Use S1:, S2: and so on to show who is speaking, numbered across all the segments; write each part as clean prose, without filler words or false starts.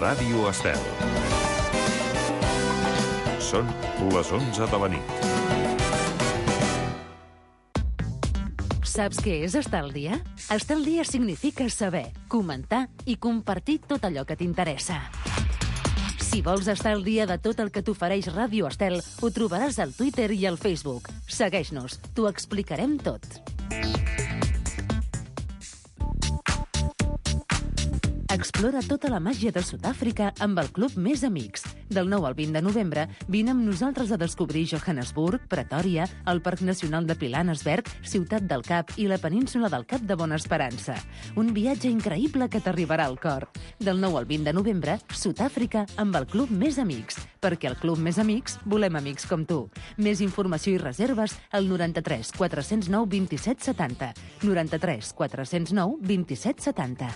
S1: Ràdio Estel. Són les 11 de la nit.
S2: Saps què és estar al dia? Estar al dia significa saber, comentar i compartir tot allò que t'interessa. Si vols estar al dia de tot el que t'ofereix Ràdio Estel, ho trobaràs al Twitter i al Facebook. Segueix-nos, t'ho explicarem tot. Explora tota la màgia de Sud-àfrica amb el Club Més Amics. Del 9 al 20 de novembre, vine amb nosaltres a descobrir Johannesburg, Pretòria, el Parc Nacional de Pilanesberg, Ciutat del Cap i la península del Cap de Bona Esperança. Un viatge increïble que t'arribarà al cor. Del 9 al 20 de novembre, Sud-àfrica amb el Club Més Amics. Perquè al Club Més Amics volem amics com tu. Més informació i reserves al 93 409 27 70. 93 409 27 70.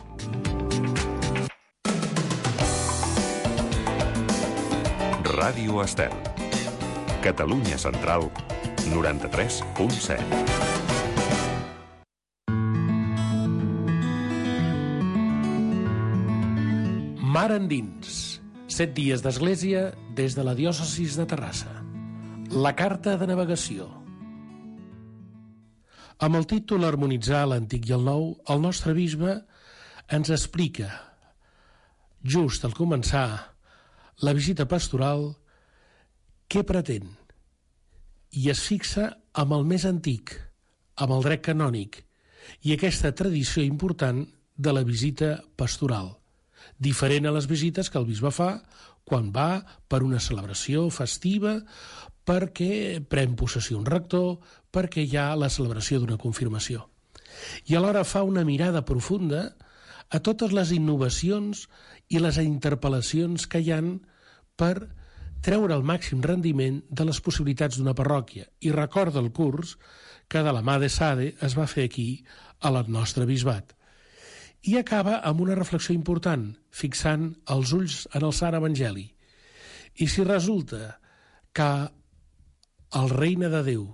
S1: Ràdio Estel. Catalunya Central, 93.7.
S3: Mar endins. 7 dies d'església des de la diòcesis de Terrassa. La carta de navegació. Amb el títol Harmonitzar l'Antic i el Nou, el nostre bisbe ens explica, just al començar la visita pastoral, què pretén? I es fixa amb el més antic, amb el dret canònic, i aquesta tradició important de la visita pastoral, diferent a les visites que el bisbe fa quan va per una celebració festiva, perquè pren possessió un rector, perquè hi ha la celebració d'una confirmació. I alhora fa una mirada profunda a totes les innovacions i les interpel·lacions que hi han per treure el màxim rendiment de les possibilitats d'una parròquia. I recorda el curs que de la mà de Sade es va fer aquí, a la nostra bisbat. I acaba amb una reflexió important, fixant els ulls en el Sant Evangeli. I si resulta que el regne de Déu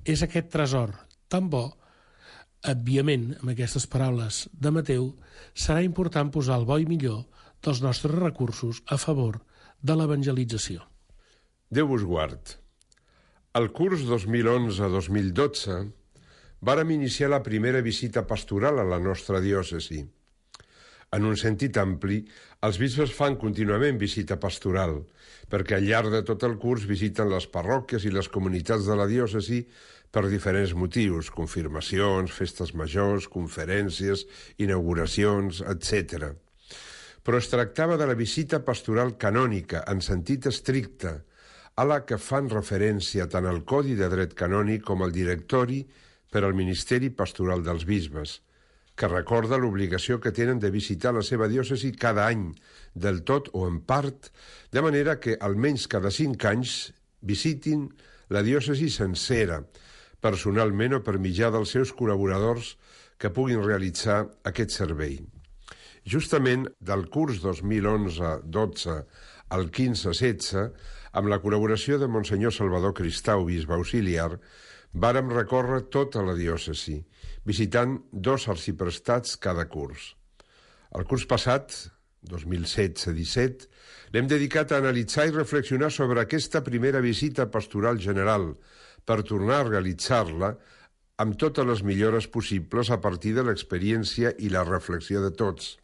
S3: és aquest tresor tan bo, òbviament, amb aquestes paraules de Mateu, serà important posar el bo i millor dels nostres recursos a favor de l'evangelització.
S4: Déu vos guard. Al curs 2011-2012 vàrem iniciar la primera visita pastoral a la nostra diòcesi. En un sentit ampli, els bisbes fan contínuament visita pastoral, perquè al llarg de tot el curs visiten les parròquies i les comunitats de la diòcesi per diferents motius, confirmacions, festes majors, conferències, inauguracions, etc. Però es tractava de la visita pastoral canònica, en sentit estricte, a la que fan referència tant el Codi de Dret Canònic com el Directori per al Ministeri Pastoral dels Bisbes, que recorda l'obligació que tenen de visitar la seva diòcesi cada any, del tot o en part, de manera que almenys cada 5 anys visitin la diòcesi sencera, personalment o per mitjà dels seus col·laboradors que puguin realitzar aquest servei. Justament del curs 2011-12 al 15-16, amb la col·laboració de Monsenyor Salvador Cristau, bisbe auxiliar, vàrem recórrer tota la diòcesi, visitant 2 arciprestats cada curs. El curs passat, 2016-17, l'hem dedicat a analitzar i reflexionar sobre aquesta primera visita pastoral general, per tornar a realitzar-la amb totes les millores possibles a partir de l'experiència i la reflexió de tots.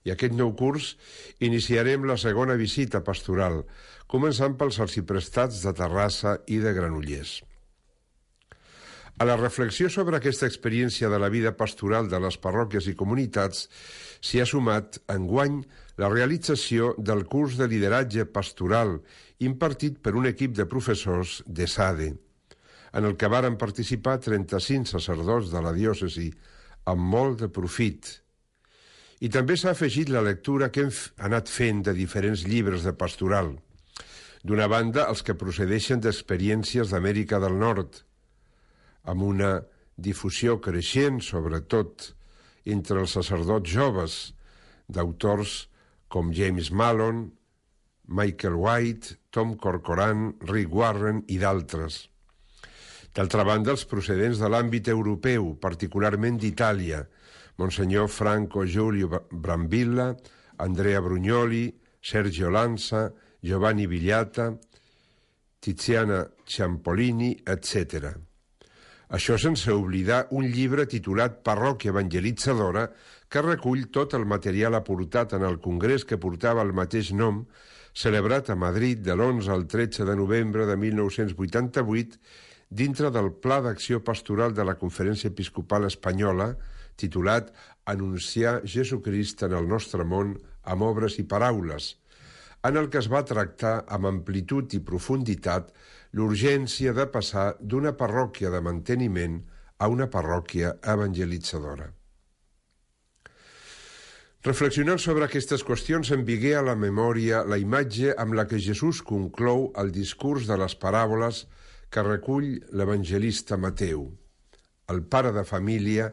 S4: I aquest nou curs iniciarem la segona visita pastoral, començant pels arciprestats de Terrassa i de Granollers. A la reflexió sobre aquesta experiència de la vida pastoral de les parròquies i comunitats s'hi ha sumat, enguany, la realització del curs de lideratge pastoral impartit per un equip de professors de Sade, en el que varen participar 35 sacerdots de la diòcesi, amb molt de profit. I també s'ha afegit la lectura que hem anat fent de diferents llibres de pastoral. D'una banda, els que procedeixen d'experiències d'Amèrica del Nord, amb una difusió creixent, sobretot entre els sacerdots joves, d'autors com James Mallon, Michael White, Tom Corcoran, Rick Warren i d'altres. D'altra banda, els procedents de l'àmbit europeu, particularment d'Itàlia, Monsenyor Franco Giulio Brambilla, Andrea Brugnoli, Sergio Lanza, Giovanni Villata, Tiziana Ciampolini, etc. Això sense oblidar un llibre titulat Parròquia Evangelitzadora, que recull tot el material aportat en el congrés que portava el mateix nom, celebrat a Madrid de l'11 al 13 de novembre de 1988, dintre del Pla d'Acció Pastoral de la Conferència Episcopal Espanyola, titulat Anunciar Jesucrist en el nostre món amb obres i paraules, en el que es va tractar amb amplitud i profunditat l'urgència de passar d'una parròquia de manteniment a una parròquia evangelitzadora. Reflexionant sobre aquestes qüestions em vingué a la memòria la imatge amb la que Jesús conclou el discurs de les paràboles que recull l'evangelista Mateu, el pare de família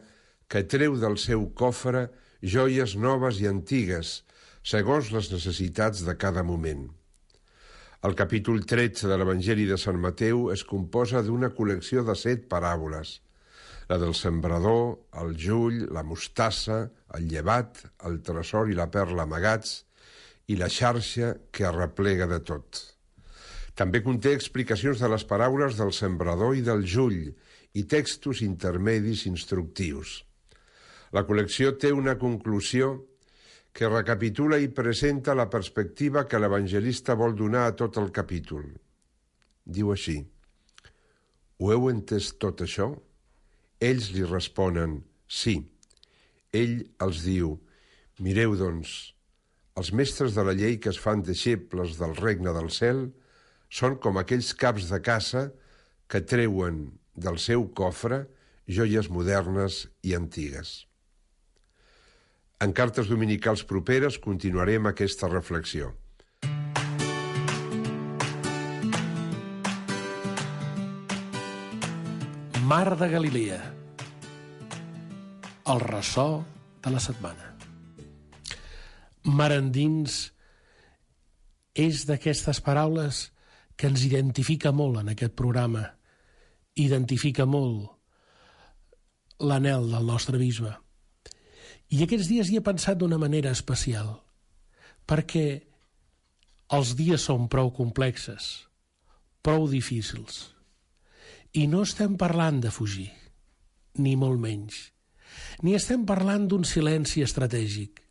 S4: que treu del seu cofre joies noves i antigues, segons les necessitats de cada moment. El capítol 13 de l'Evangeli de Sant Mateu es composa d'una col·lecció de 7 paràboles, la del sembrador, el jull, la mostassa, el llevat, el tresor i la perla amagats, i la xarxa que arreplega de tot. També conté explicacions de les paraules del sembrador i del jull i textos intermedis instructius. La col·lecció té una conclusió que recapitula i presenta la perspectiva que l'evangelista vol donar a tot el capítol. Diu així: «Ho heu entès tot això?» Ells li responen: «Sí». Ell els diu: «Mireu, doncs, els mestres de la llei que es fan deixebles del regne del cel són com aquells caps de caça que treuen del seu cofre joies modernes i antigues». En cartes dominicals properes continuarem aquesta reflexió.
S3: Mar de Galilea, el ressò de la setmana. Mar endins és d'aquestes paraules que ens identifica molt en aquest programa, identifica molt l'anhel del nostre bisbe. I aquests dies hi he pensat d'una manera especial, perquè els dies són prou complexes, prou difícils, i no estem parlant de fugir, ni molt menys, ni estem parlant d'un silenci estratègic.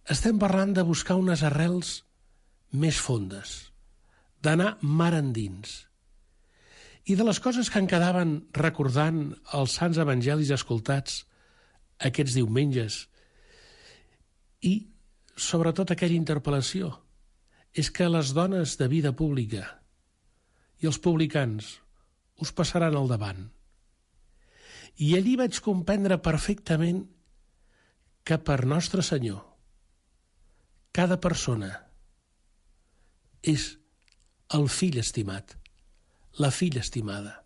S3: Estem parlant de buscar unes arrels més fondes, d'anar mar endins. I de les coses que em quedaven recordant els sants evangelis escoltats aquests diumenges, i sobretot aquella interpel·lació, és que les dones de vida pública i els publicans us passaran al davant. I allí vaig comprendre perfectament que per Nostre Senyor cada persona és el fill estimat, la filla estimada.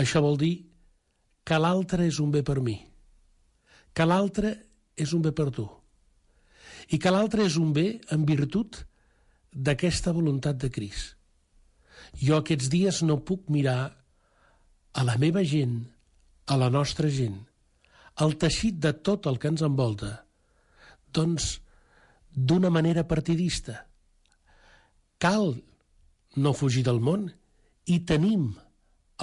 S3: Això vol dir que l'altre és un bé per mi, que l'altre és un bé per tu, i que l'altre és un bé en virtut d'aquesta voluntat de Crist. Jo aquests dies no puc mirar a la meva gent, a la nostra gent, al teixit de tot el que ens envolta, doncs d'una manera partidista. Cal no fugir del món i tenim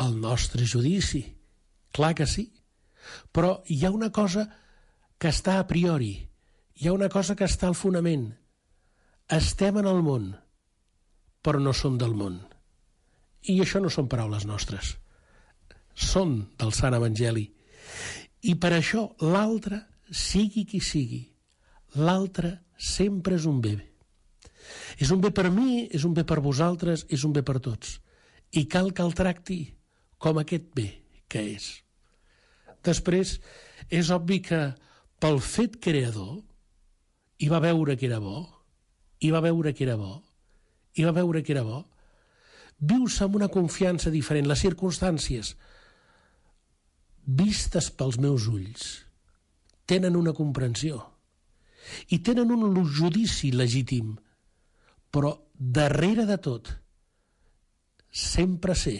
S3: el nostre judici. Clar que sí, però hi ha una cosa que està a priori, hi ha una cosa que està al fonament. Estem en el món, però no som del món. I això no són paraules nostres, són del Sant Evangeli. I per això l'altre, sigui qui sigui, l'altre sempre és un bé. És un bé per mi, és un bé per vosaltres, és un bé per tots. I cal que el tracti com aquest bé que és. Després, és obvi que pel fet creador hi va veure que era bo, hi va veure que era bo, hi va veure que era bo, vius amb una confiança diferent. Les circumstàncies, vistes pels meus ulls, tenen una comprensió i tenen un judici legítim, però darrere de tot sempre sé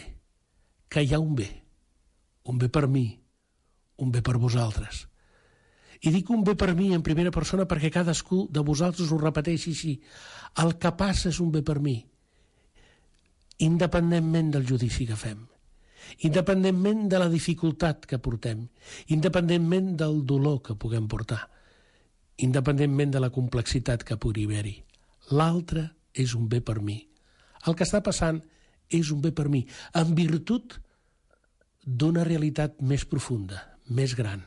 S3: que hi ha un bé per mi, un bé per vosaltres. I dic un bé per mi en primera persona perquè cadascú de vosaltres ho repeteixi així. El que passa és un bé per mi, independentment del judici que fem, independentment de la dificultat que portem, independentment del dolor que puguem portar, independentment de la complexitat que pugui haver-hi. L'altre és un bé per mi. El que està passant és un bé per mi, en virtut d'una realitat més profunda, més gran.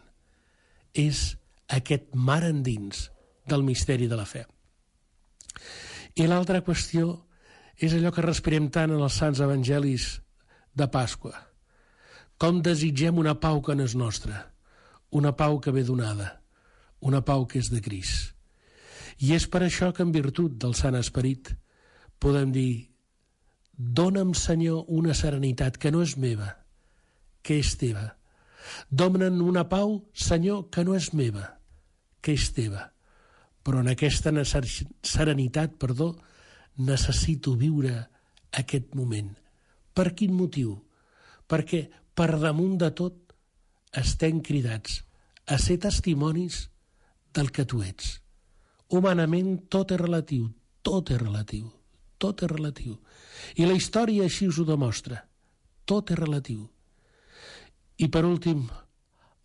S3: És aquest mar endins del misteri de la fe. I l'altra qüestió és allò que respirem tant en els sants evangelis de Pasqua. Com desitgem una pau que no és nostra, una pau que ve donada, una pau que és de Crist. I és per això que en virtut del Sant Esperit podem dir: dona'm, Senyor, una serenitat que no és meva, que és teva. Dona'm una pau, Senyor, que no és meva, que és teva. Però en aquesta serenitat, necessito viure aquest moment. Per quin motiu? Perquè per damunt de tot estem cridats a ser testimonis del que tu ets. Humanament tot és relatiu, tot és relatiu, tot és relatiu. I la història així us ho demostra. Tot és relatiu. I per últim,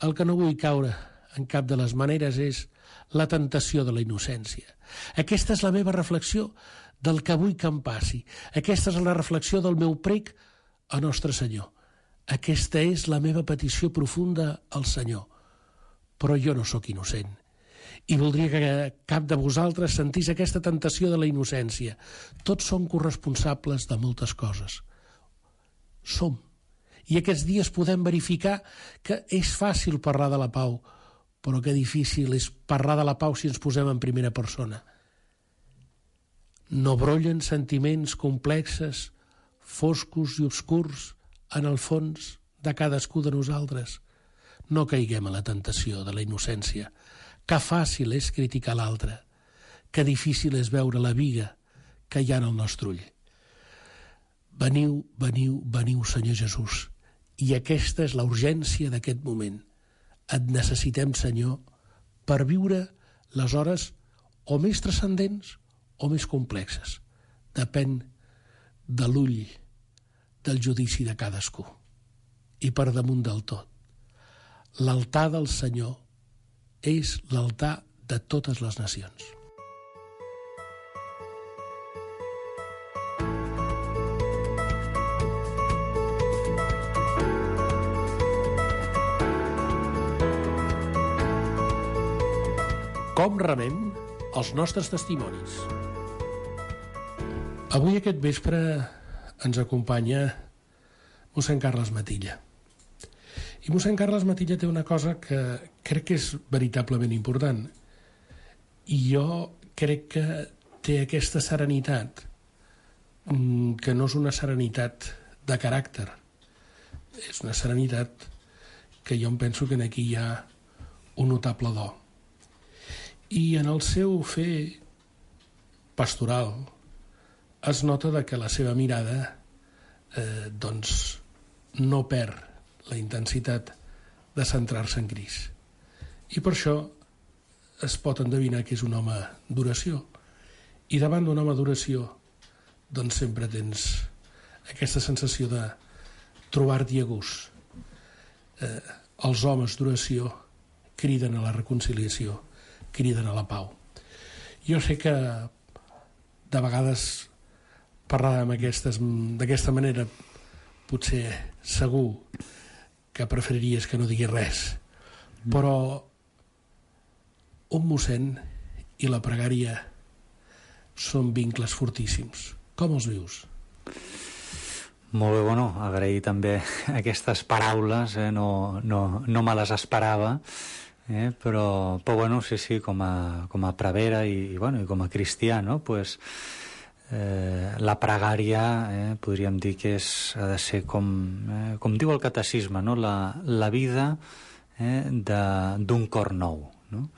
S3: el que no vull caure en cap de les maneres és la tentació de la innocència. Aquesta és la meva reflexió del que vull que em passi. Aquesta és la reflexió del meu prec a Nostre Senyor. Aquesta és la meva petició profunda al Senyor. Però jo no sóc innocent. I voldria que cap de vosaltres sentís aquesta tentació de la innocència. Tots som corresponsables de moltes coses. Som. I aquests dies podem verificar que és fàcil parlar de la pau, però que difícil és parlar de la pau si ens posem en primera persona. No brollen sentiments complexes, foscos i obscurs en el fons de cadascú de nosaltres. No caiguem a la tentació de la innocència. Que fàcil és criticar l'altre, que difícil és veure la viga que hi ha en el nostre ull. Veniu, veniu, veniu, Senyor Jesús. I aquesta és la urgència d'aquest moment. Et necessitem, Senyor, per viure les hores o més transcendents o més complexes. Depèn de l'ull del judici de cadascú. I per damunt del tot, l'altar del Senyor és l'altar de totes les nacions. Com remem els nostres testimonis? Avui aquest vespre ens acompanya mossèn Carles Matilla. I mossèn Carles Matilla té una cosa que crec que és veritablement important. I jo crec que té aquesta serenitat, que no és una serenitat de caràcter. És una serenitat que jo em penso que aquí hi ha un notable do. I en el seu fer pastoral es nota que la seva mirada no perd la intensitat de centrar-se en Crist. I per això es pot endevinar que és un home d'oració. I davant d'un home d'oració sempre tens aquesta sensació de trobar-t'hi a gust. Els homes d'oració criden a la reconciliació, criden a la pau. Jo sé que de vegades parlar d'aquesta manera potser segur que preferiries que no digués res, però un mossèn i la pregària són vincles fortíssims. Com els vius?
S5: Molt bé, agrair també aquestes paraules, no me les esperava, però sí, com a prevere i com a cristià, pues, la pregària podríem dir que ha de ser com diu el catecisme, la vida d'un cor nou, no?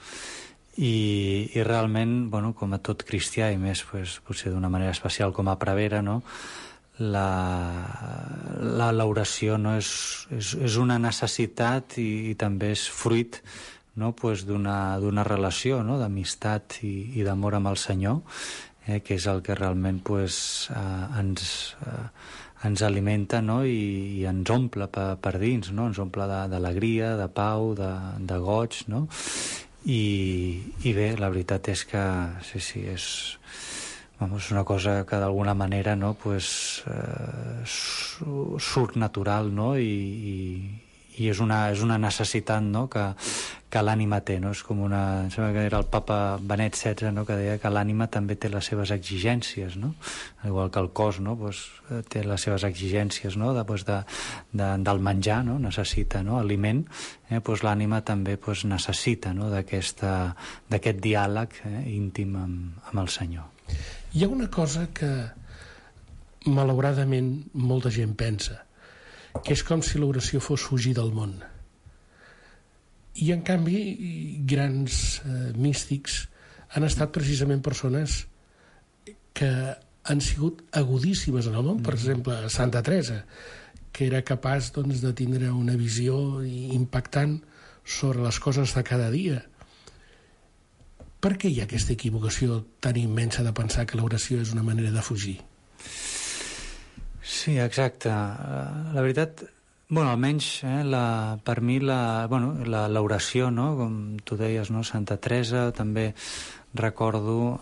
S5: I realment, com a tot cristià i més potser d'una manera especial com a prevere, l'oració és una necessitat i també és fruit no? Pues d'una relació, no? D'amistat i d'amor amb el Senyor, que és el que realment pues, ens alimenta, no? I ens omple per dins, no? Ens omple d'alegria, de pau, de goig, no? I bé, la veritat és que sí, és una cosa que d'alguna manera, no? Pues, surt natural, no? I és una necessitat, no? que l'ànima té, no? És com em sembla que era el papa Benet XVI, no? Que deia que l'ànima també té les seves exigències, no? Igual que el cos, no? Pues, té les seves exigències, no? Del menjar, no? Necessita, no? Aliment, pues l'ànima també pues, necessita, no? d'aquest diàleg íntim amb el Senyor.
S3: Hi ha una cosa que malauradament molta gent pensa, que és com si l'oració fos fugir del món. I en canvi grans místics han estat precisament persones que han sigut agudíssimes en el món. Per exemple, Santa Teresa, que era capaç doncs, de tindre una visió impactant sobre les coses de cada dia. Per què hi ha aquesta equivocació tan immensa de pensar que l'oració és una manera de fugir?
S5: Sí, exacte. La veritat, almenys per mi l'oració, no? Com tu deies, no? Santa Teresa, també recordo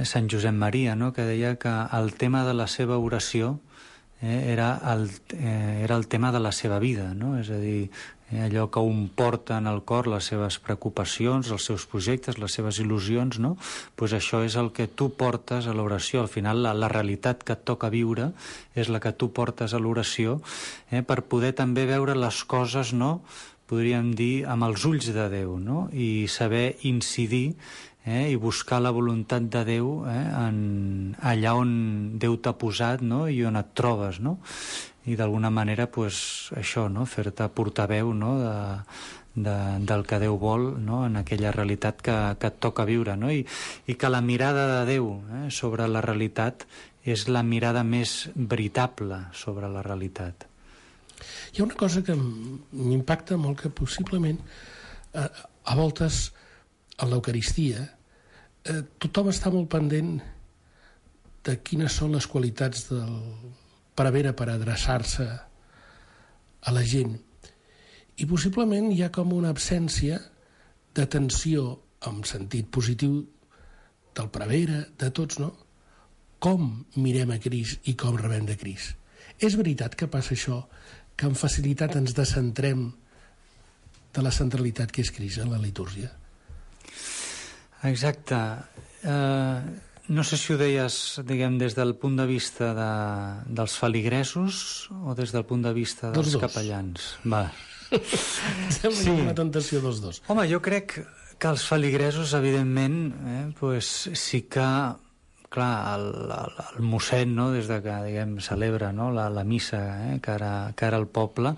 S5: Sant Josep Maria, no? Que deia que el tema de la seva oració era el tema de la seva vida, no? És a dir, allò que un porta en el cor, les seves preocupacions, els seus projectes, les seves il·lusions, no? Pues això és el que tu portes a l'oració. Al final, la realitat que et toca viure és la que tu portes a l'oració, per poder també veure les coses, no? Podríem dir, amb els ulls de Déu, no? I saber incidir i buscar la voluntat de Déu allà on Déu t'ha posat, no? I on et trobes, no? I d'alguna manera pues, això, no? Fer-te portaveu, no? del que Déu vol, no? En aquella realitat que et toca viure, no? I que la mirada de Déu sobre la realitat és la mirada més veritable sobre la realitat.
S3: Hi ha una cosa que m'impacta molt, que possiblement a voltes a l'Eucaristia tothom està molt pendent de quines són les qualitats del prevere per adreçar-se a la gent. I possiblement hi ha com una absència d'atenció en sentit positiu del prevere, de tots, no? Com mirem a Crist i com rebem de Crist. És veritat que passa això, que amb facilitat ens descentrem de la centralitat que és Crist en la litúrgia?
S5: Exacte. No sé si ho deies, diguem, des del punt de vista dels feligresos o des del punt de vista dels capellans. Va.
S3: Sembla una tentació dels dos.
S5: Home, jo crec que els feligresos, evidentment, pues, sí que, clar, el mossèn, no? Des de que, diguem, celebra, no? la missa cara al poble,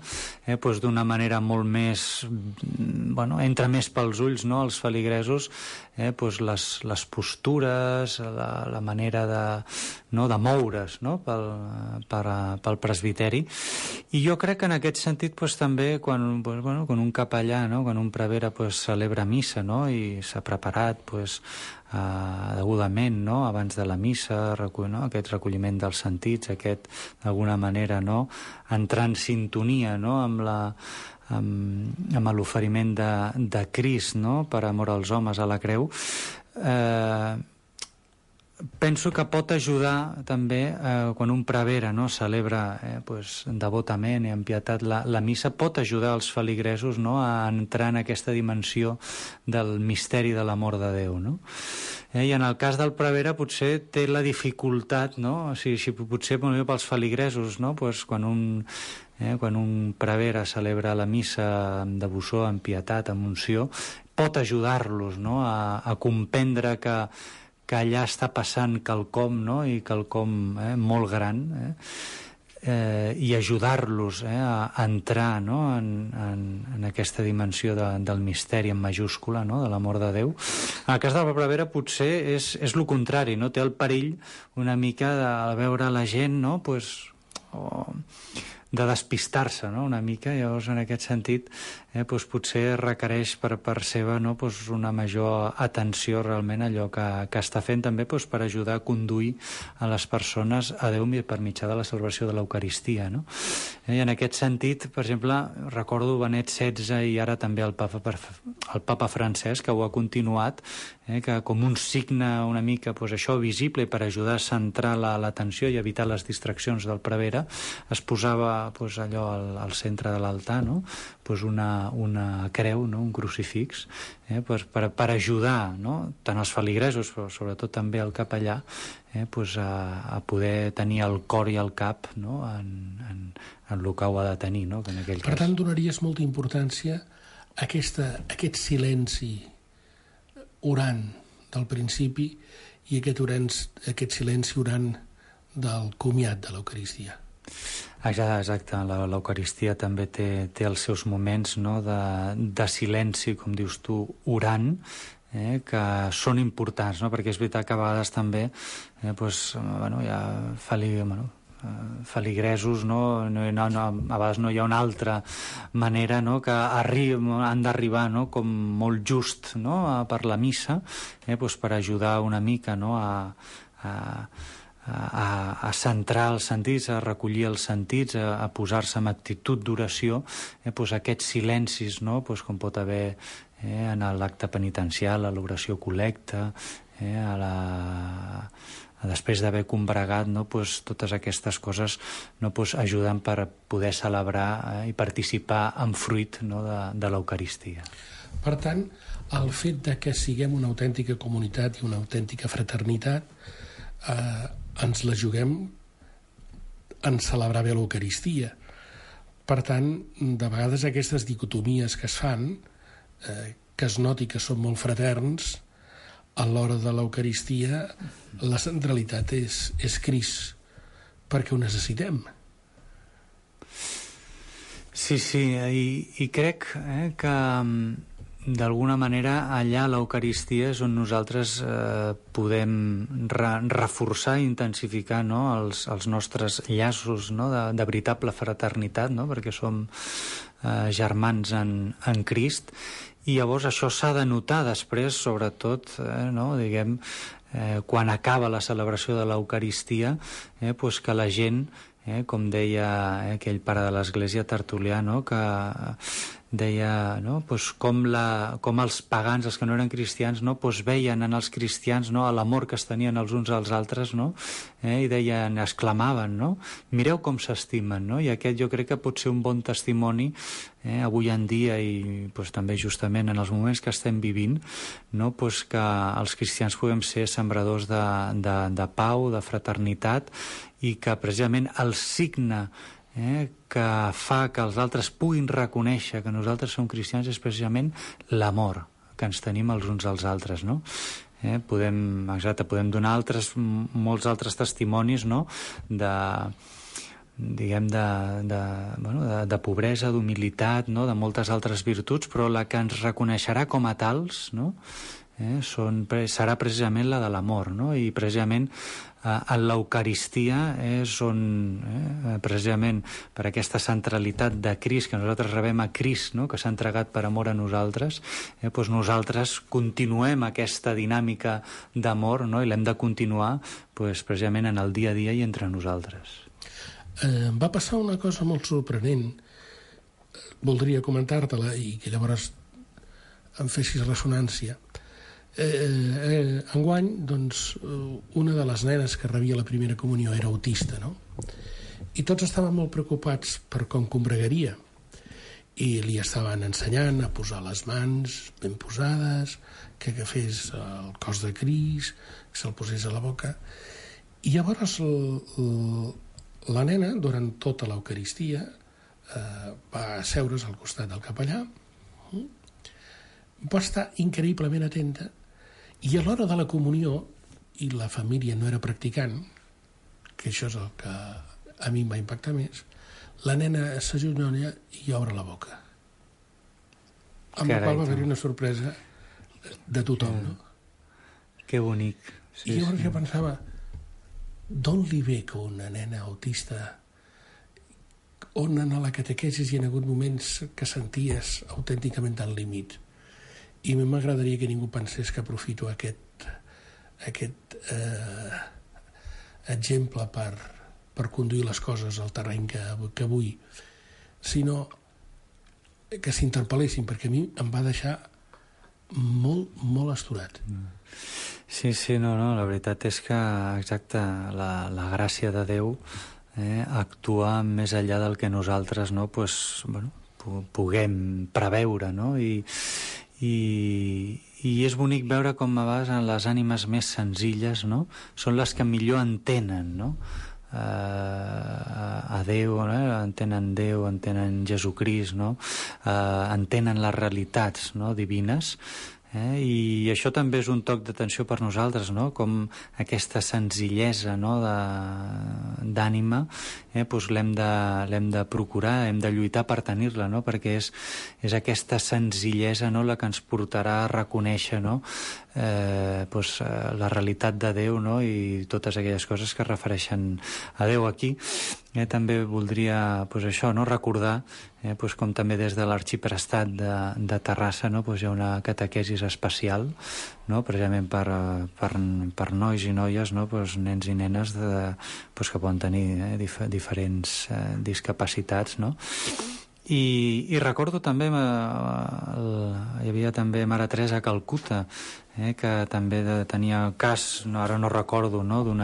S5: pues, d'una manera molt més, entra més pels ulls, no? Els feligresos, pues, les postures, la manera de moure's, no? pel presbiteri. I jo crec que en aquest sentit pues, també quan un capellà, no? Quan un prevere pues, celebra missa, no? I s'ha preparat pues, degudament, no? Abans de la missa, no? Aquest recolliment dels sentits, d'alguna manera, no? Entrar en sintonia, no? amb l'oferiment de Crist, no? Per amor als homes a la creu, penso que pot ajudar també quan un prevere, no? Celebra pues, devotament i amb pietat la missa, pot ajudar els feligresos, no? A entrar en aquesta dimensió del misteri de l'amor de Déu, no? I en el cas del prevere potser té la dificultat, no? O sigui, potser pels feligresos, no? Pues, quan un prevere celebra la missa amb devoció, amb pietat, amb unció, pot ajudar-los, no? a comprendre que allà està passant quelcom, no? I quelcom molt gran, i ajudar-los a entrar, no? en aquesta dimensió del misteri en majúscula, no? De l'amor de Déu. En el cas de la prevere potser és el contrari, no? Té el perill una mica de veure la gent, no? Pues, despistar-se, no?, una mica. Llavors, en aquest sentit, doncs potser requereix per seva, no?, doncs una major atenció realment a allò que està fent, també doncs per ajudar a conduir a les persones a Déu per mitjà de la celebració de l'Eucaristia, no? I en aquest sentit, per exemple, recordo Benet XVI i ara també el Papa Francesc, que ho ha continuat, que com un signe una mica doncs això visible per ajudar a centrar l'atenció i evitar les distraccions del prevere, es posava doncs allò al centre de l'altar, no?, doncs una creu, no?, un crucifix, per ajudar, no?, tant els feligresos però sobretot també el capellà, doncs a poder tenir el cor i el cap, no?, en el que ho ha de tenir, no?, que en aquell cas.
S3: Per tant, donaries molta importància a aquest silenci orant del principi i aquest silenci orant del comiat de l'Eucaristia.
S5: Exacte, l'Eucaristia també té els seus moments, no?, de silenci, com dius tu, orant, que són importants, no?, perquè és veritat que a vegades també hi ha feligresos, no? A vegades no hi ha una altra manera, no?, que han d'arribar, no?, com molt just, no?, per la missa, doncs per ajudar una mica, no?, a centrar els sentits, a recollir els sentits, a posar-se en actitud d'oració, doncs aquests silencis, no?, doncs com pot haver en l'acte penitencial, a l'oració col·lecta, després d'haver combregat, no?, doncs totes aquestes coses, no?, doncs ajuden per poder celebrar i participar en fruit, no?, de l'Eucaristia.
S3: Per tant, el fet de que siguem una autèntica comunitat i una autèntica fraternitat ens la juguem en celebrar bé l'Eucaristia. Per tant, de vegades aquestes dicotomies que es fan, que es noti que són molt fraterns, a l'hora de l'Eucaristia la centralitat és Crist, perquè ho necessitem.
S5: Sí, i crec que d'alguna manera allà a l'Eucaristia és on nosaltres podem reforçar i intensificar, no?, els nostres llaços, no?, de veritable fraternitat, no?, perquè som germans en Crist, i llavors això s'ha de notar després, sobretot, no?, diguem, quan acaba la celebració de l'Eucaristia, doncs que la gent, com deia aquell pare de l'Església, Tertulià, no?, que deia, no?, doncs com els pagans, els que no eren cristians, no?, doncs veien en els cristians, no?, l'amor que es tenien els uns als altres, no?, i deien, exclamaven, no?, mireu com s'estimen, no?, i aquest jo crec que pot ser un bon testimoni avui en dia i doncs, també justament en els moments que estem vivint, no?, doncs que els cristians puguem ser sembradors de pau, de fraternitat, i que precisament el signe que fa que els altres puguin reconèixer que nosaltres som cristians és precisament l'amor que ens tenim els uns als altres, no? Podem donar molts altres testimonis, no?, de pobresa, d'humilitat, no?, de moltes altres virtuts, però la que ens reconeixerà com a tals, no?, serà precisament la de l'amor, no?, i precisament en l'Eucaristia és on, precisament per aquesta centralitat de Crist, que nosaltres rebem a Crist, no?, que s'ha entregat per amor a nosaltres, doncs nosaltres continuem aquesta dinàmica d'amor, no?, i l'hem de continuar doncs, precisament en el dia a dia i entre nosaltres.
S3: Va passar una cosa molt sorprenent, voldria comentar-te-la i que llavors em fessis ressonància. Enguany, doncs, una de les nenes que rebia la primera comunió era autista, no? I tots estaven molt preocupats per com combregaria i li estaven ensenyant a posar les mans ben posades, que agafés el cos de Crist, que se'l posés a la boca. I llavors la nena, durant tota l'Eucaristia, va asseure's al costat del capellà, va estar increïblement atenta, i a l'hora de la comunió, i la família no era practicant, que això és el que a mi em va impactar més, la nena s'agenolla i obre la boca. Amb la qual va haver-hi una sorpresa de tothom, no?
S5: Que bonic.
S3: I llavors jo pensava, d'on li ve que una nena autista on en la catequesis hi ha hagut moments que senties autènticament al límit. I a mi m'agradaria que ningú pensés que aprofito aquest exemple per conduir les coses al terreny que vull, sinó que s'interpel·lessin, perquè a mi em va deixar molt, molt astorat.
S5: Sí, no, la veritat és que, exacte, la gràcia de Déu actua més enllà del que nosaltres puguem preveure, no? I és bonic veure com a vegades les ànimes més senzilles, no? Són les que millor entenen, no? A Déu, entenen Déu, entenen Jesucrist, no? Entenen les realitats, no? Divines, i això també és un toc d'atenció per nosaltres, no? Com aquesta senzillesa, no? d'ànima l'hem de procurar, hem de lluitar per tenir-la, no? Perquè és aquesta senzillesa, no? La que ens portarà a reconèixer, no? La realitat de Déu, no? I totes aquelles coses que es refereixen a Déu aquí. També voldria recordar com també des de l'Arxiprestat de Terrassa hi ha una catequesis especial, no? Precisament per nois i noies, no? Nens i nenes que poden tenir diferents discapacitats, no? I recordo també hi havia també Mare Teresa a Calcuta, que també tenia el cas, ara no recordo, no? d'un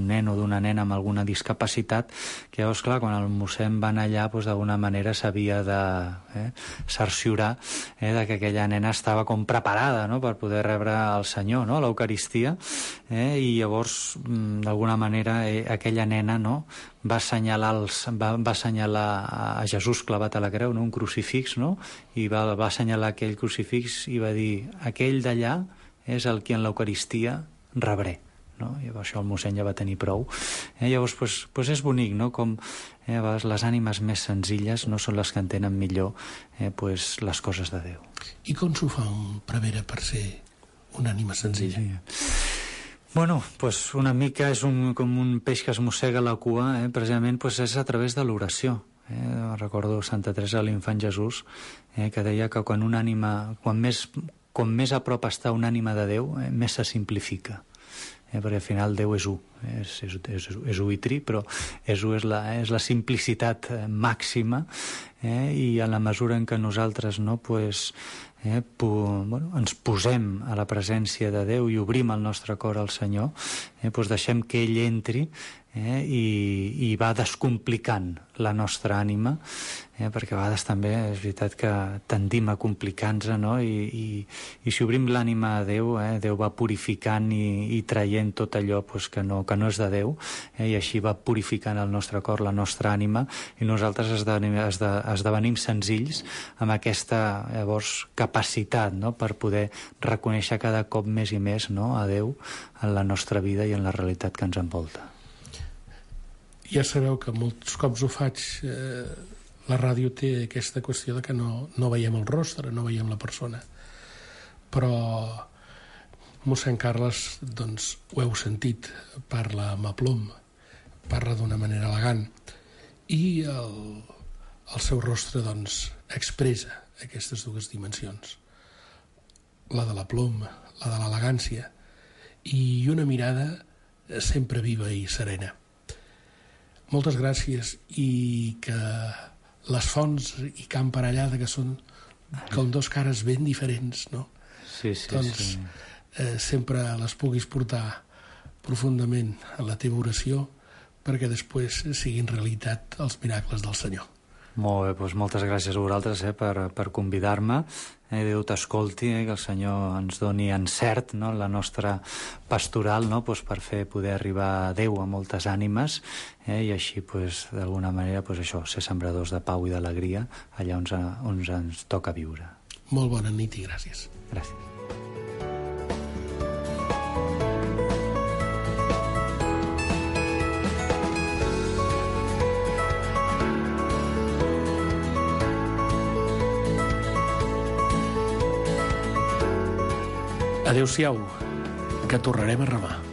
S5: nen o d'una nena amb alguna discapacitat, que llavors, clar, quan el mossèn va anar allà, d'alguna manera s'havia de cerciorar de que aquella nena estava com preparada, no? Per poder rebre el Senyor, no? L'Eucaristia, i llavors, d'alguna manera, aquella nena, no? Va assenyalar a Jesús clavat a la creu, no? Un crucifix, no? I va assenyalar aquell crucifix i va dir: aquell d'allà és el que en l'Eucaristia rebré, no? I això el mossèn ja va tenir prou. Llavors, és bonic, no? Com a vegades les ànimes més senzilles no són les que entenen millor les coses de Déu.
S3: I com s'ho fa un prevere per ser una ànima senzilla?
S5: Bueno, una mica és com un peix que es mossega la cua, precisament és a través de l'oració. Recordo Santa Teresa de l'Infant Jesús, que deia que quan una ànima, com més a prop està una ànima de Déu, més se simplifica. Perquè al final Déu és u, és u i tri, però és la simplicitat màxima, i en la mesura en què nosaltres ens posem a la presència de Déu i obrim el nostre cor al Senyor, deixem que ell entri i va descomplicant la nostra ànima, perquè a vegades també és veritat que tendim a complicar-nos, no? I si obrim l'ànima a Déu, Déu va purificant i traient tot allò que no és de Déu, i així va purificant el nostre cor, la nostra ànima, i nosaltres esdevenim senzills amb aquesta llavors capacitat, no? Per poder reconèixer cada cop més i més, no? A Déu en la nostra vida i en la realitat que ens envolta.
S3: Ja sabeu que molts cops ho faig. La ràdio té aquesta qüestió de que no veiem el rostre, no veiem la persona. Però mossèn Carles, doncs, ho heu sentit, parla amb aplom, parla d'una manera elegant, i el seu rostre, doncs, expressa aquestes dues dimensions. La de l'aplom, la de l'elegància, i una mirada sempre viva i serena. Moltes gràcies, i que les fonts i Camp Parellada, que són com dos cares ben diferents, no?
S5: Sí.
S3: Sempre les puguis portar profundament a la teva oració perquè després siguin realitat els miracles del Senyor.
S5: Molt bé, moltes gràcies a vosaltres per convidar-me. Déu t'escolti, que el Senyor ens doni encert, no? La nostra pastoral, no? Per poder arribar a Déu a moltes ànimes, i així d'alguna manera ser sembradors de pau i d'alegria allà on ens toca viure.
S3: Molt bona nit i gràcies.
S5: Gràcies.
S3: Adéu-siau, que tornarem a remar.